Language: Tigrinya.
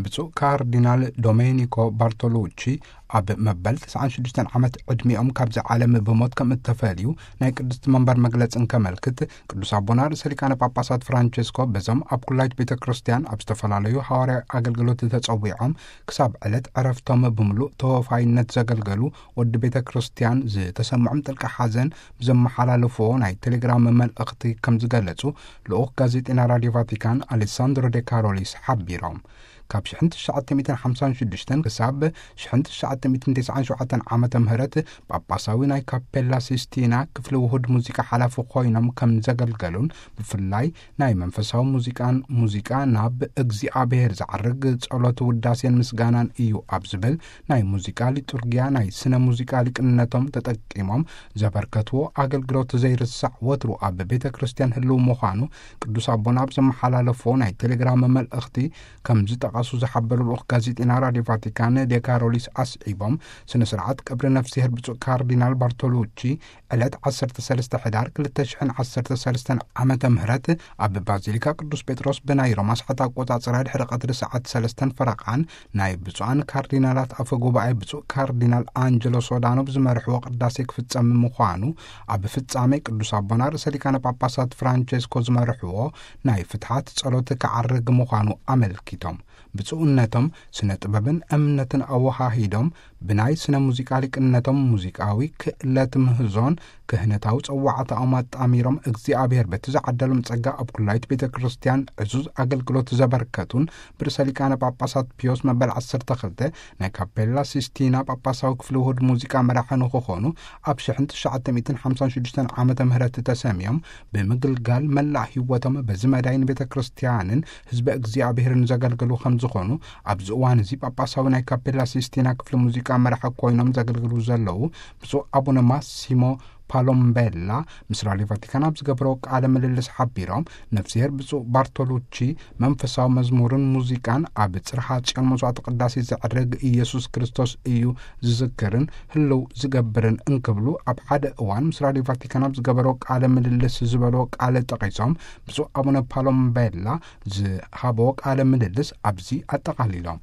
ብፁዕ ካርዲናል ዶሜኒኮ ባርቶሉቺ ኣብ መበል ተስዓን ሽዱሽተን ዓመት ዕድሚኦም ካብዚ ዓለም ብሞት ከም እተፈልዩ ናይ ቅድስቲ መንበር መግለጺ እንከመልክት፣ ቅዱስ ኣቦና ርእሰ ሊቃነ ጳጳሳት ፍራንቸስኮ በዞም ኣብ ኩላይት ቤተ ክርስቲያን ኣብ ዝተፈላለዩ ሃዋርያዊ ኣገልግሎት ተጸዊዖም ክሳብ ዕለት ዕረፍቶም ብምሉእ ተወፋይነት ዘገልገሉ ወዲ ቤተ ክርስቲያን ዝተሰምዖም ጥልቂ ሓዘን ብዘመሓላለፍዎ ናይ ቴሌግራም መልእኽቲ ከም ዝገለጹ ልኡኽ ጋዜጠኛ ራድዮ ቫቲካን ኣሌሳንድሮ ዴ ካሮሊስ ሓቢሮም። ካብ ሽሕን ትሽዓተ ሚእትን ሓምሳን ሽዱሽተን ክሳብ ሽሕን ትሽዓተ ሚእትን ተስዓን ሸውዓተን ዓመተ ምህረት ጳጳሳዊ ናይ ካፔላ ሲስቲና ክፍሊ ውሁድ ሙዚቃ ሓላፊ ኮይኖም ከም ዘገልገሉን፣ ብፍላይ ናይ መንፈሳዊ ሙዚቃን ሙዚቃ ናብ እግዚኣብሔር ዘዓርግ ጸሎት ውዳሴን ምስጋናን እዩ ኣብ ዝብል ናይ ሙዚቃ ሊጡርጊያ ናይ ስነ ሙዚቃ ሊቅነቶም ተጠቂሞም ዘበርከትዎ ኣገልግሎት ዘይርሳዕ ወትሩ ኣብ ቤተ ክርስቲያን ህልው ምዃኑ ቅዱስ ኣቦና ኣብ ዘመሓላለፎ ናይ ቴሌግራም መልእኽቲ ከም ዝጠቐሱ ዝሓበሩ ልኡኽ ጋዜጠኛ ራድዮ ቫቲካን ዴካሮሊስ ኣስዒቦም፣ ስነ ስርዓት ቀብሪ ነፍስሄር ብፁዕ ካርዲናል ባርቶሉቺ ዕለት ዓሰርተ ሰለስተ ሕዳር ክልተ ሽሕን ዓሰርተ ሰለስተን ዓመተ ምህረት ኣብ ባዚሊካ ቅዱስ ጴጥሮስ ብናይ ሮማ ሰዓት ኣቆጻጽራ ድሕሪ ቀትሪ ሰዓት ሰለስተን ፈረቓን ናይ ብፁዓን ካርዲናላት ኣፈ ጉባኤ ብፁዕ ካርዲናል ኣንጀሎ ሶዳኖ ብዝመርሕዎ ቅዳሴ ክፍጸም ምዃኑ፣ ኣብ ፍጻሜ ቅዱስ ኣቦና ርእሰ ሊቃነ ጳጳሳት ፍራንቸስኮ ዝመርሕዎ ናይ ፍትሓት ጸሎት ክዓርግ ምዃኑ ኣመልኪቶም። ብፁዕነቶም ስነ ጥበብን እምነትን ኣወሃሂዶም ብናይ ስነ ሙዚቃ ሊቅነቶም ሙዚቃዊ ክእለት ምህዞን ክህነታዊ ጸዋዕታኦም ኣጣሚሮም እግዚኣብሔር በቲ ዝዓደሎም ጸጋ ኣብ ኩላይት ቤተ ክርስቲያን ዕዙዝ ኣገልግሎት ዘበርከቱን ብርእሰ ሊቃነ ጳጳሳት ፒዮስ መበል ዓሰርተ ክልተ ናይ ካፔላ ሲስቲና ጳጳሳዊ ክፍሊ ውሁድ ሙዚቃ መራሒ ንክኾኑ ኣብ ሽሕን ትሽዓተ ሚእትን ሓምሳን ሽዱሽተን ዓመተ ምህረት ተሰምዮም ብምግልጋል መላእ ህይወቶም በዚ መዳይ ንቤተ ክርስቲያንን ህዝቢ እግዚኣብሔርን ዘገልግሉ ከም ዝኾኑ ኣብዚ እዋን እዚ ጳጳሳዊ ናይ ካፔላ ሲስቲና ክፍሊ ሙዚቃ መራሒ ኮይኖም ዘገልግሉ ዘለዉ ብፁዕ ኣቡነ ማሲሞ ፓሎምቤላ ምስ ራድዮ ቫቲካን ኣብ ዝገበሮ ቃለ ምልልስ ሓቢሮም፣ ነፍስሄር ብፁዕ ባርቶሉቺ መንፈሳዊ መዝሙርን ሙዚቃን ኣብ ጽርሓ ጽዮን መስዋዕቲ ቅዳሴ ዘዕርግ ኢየሱስ ክርስቶስ እዩ ዝዝክርን ህልው ዝገብርን እንክብሉ ኣብ ሓደ እዋን ምስ ራድዮ ቫቲካን ኣብ ዝገበሮ ቃለ ምልልስ ዝበሎ ቃለ ጠቒሶም፣ ብፁዕ ኣቡነ ፓሎምቤላ ዝሃቦ ቃለ ምልልስ ኣብዚ ኣጠቓሊሎም።